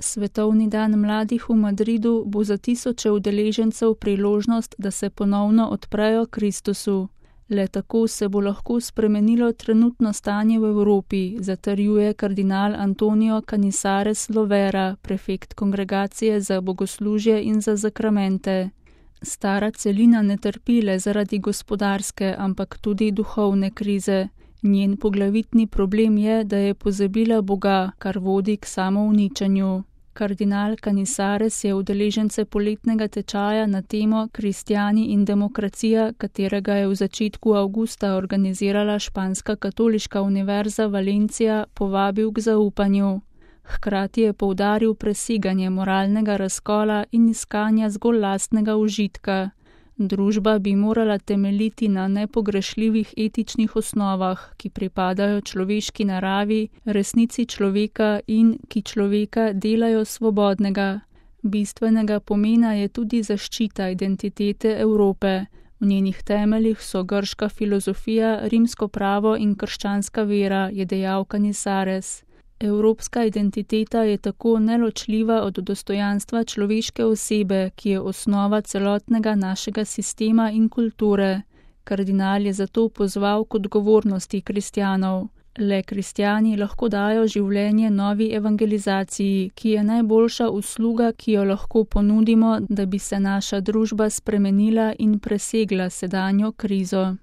Svetovni dan mladih v Madridu bo za tisoče udeležencev priložnost, da se ponovno odprejo Kristusu. Le tako se bo lahko spremenilo trenutno stanje v Evropi, zatrjuje kardinal Antonio Canizares Lovera, prefekt Kongregacije za bogoslužje in za zakramente. Stara celina ne trpi le zaradi gospodarske, ampak tudi duhovne krize. Njen poglavitni problem je, da je pozabila Boga, kar vodi k samouničenju. Kardinal Canizares je udeležence poletnega tečaja na temo Kristjani in demokracija, katerega je v začetku avgusta organizirala španska katoliška univerza Valencia, povabil k zaupanju. Hkrati je poudaril preseganje moralnega razkola in iskanja zgolj lastnega užitka. Družba bi morala temeljiti na nepogrešljivih etičnih osnovah, ki pripadajo človeški naravi, resnici človeka in ki človeka delajo svobodnega. Bistvenega pomena je tudi zaščita identitete Evrope. V njenih temeljih so grška filozofija, rimsko pravo in krščanska vera, je dejal Canizares. Evropska identiteta je tako neločljiva od dostojanstva človeške osebe, ki je osnova celotnega našega sistema in kulture. Kardinal je zato pozval k odgovornosti kristjanov. Le kristjani lahko dajo življenje novi evangelizaciji, ki je najboljša usluga, ki jo lahko ponudimo, da bi se naša družba spremenila in presegla sedanjo krizo.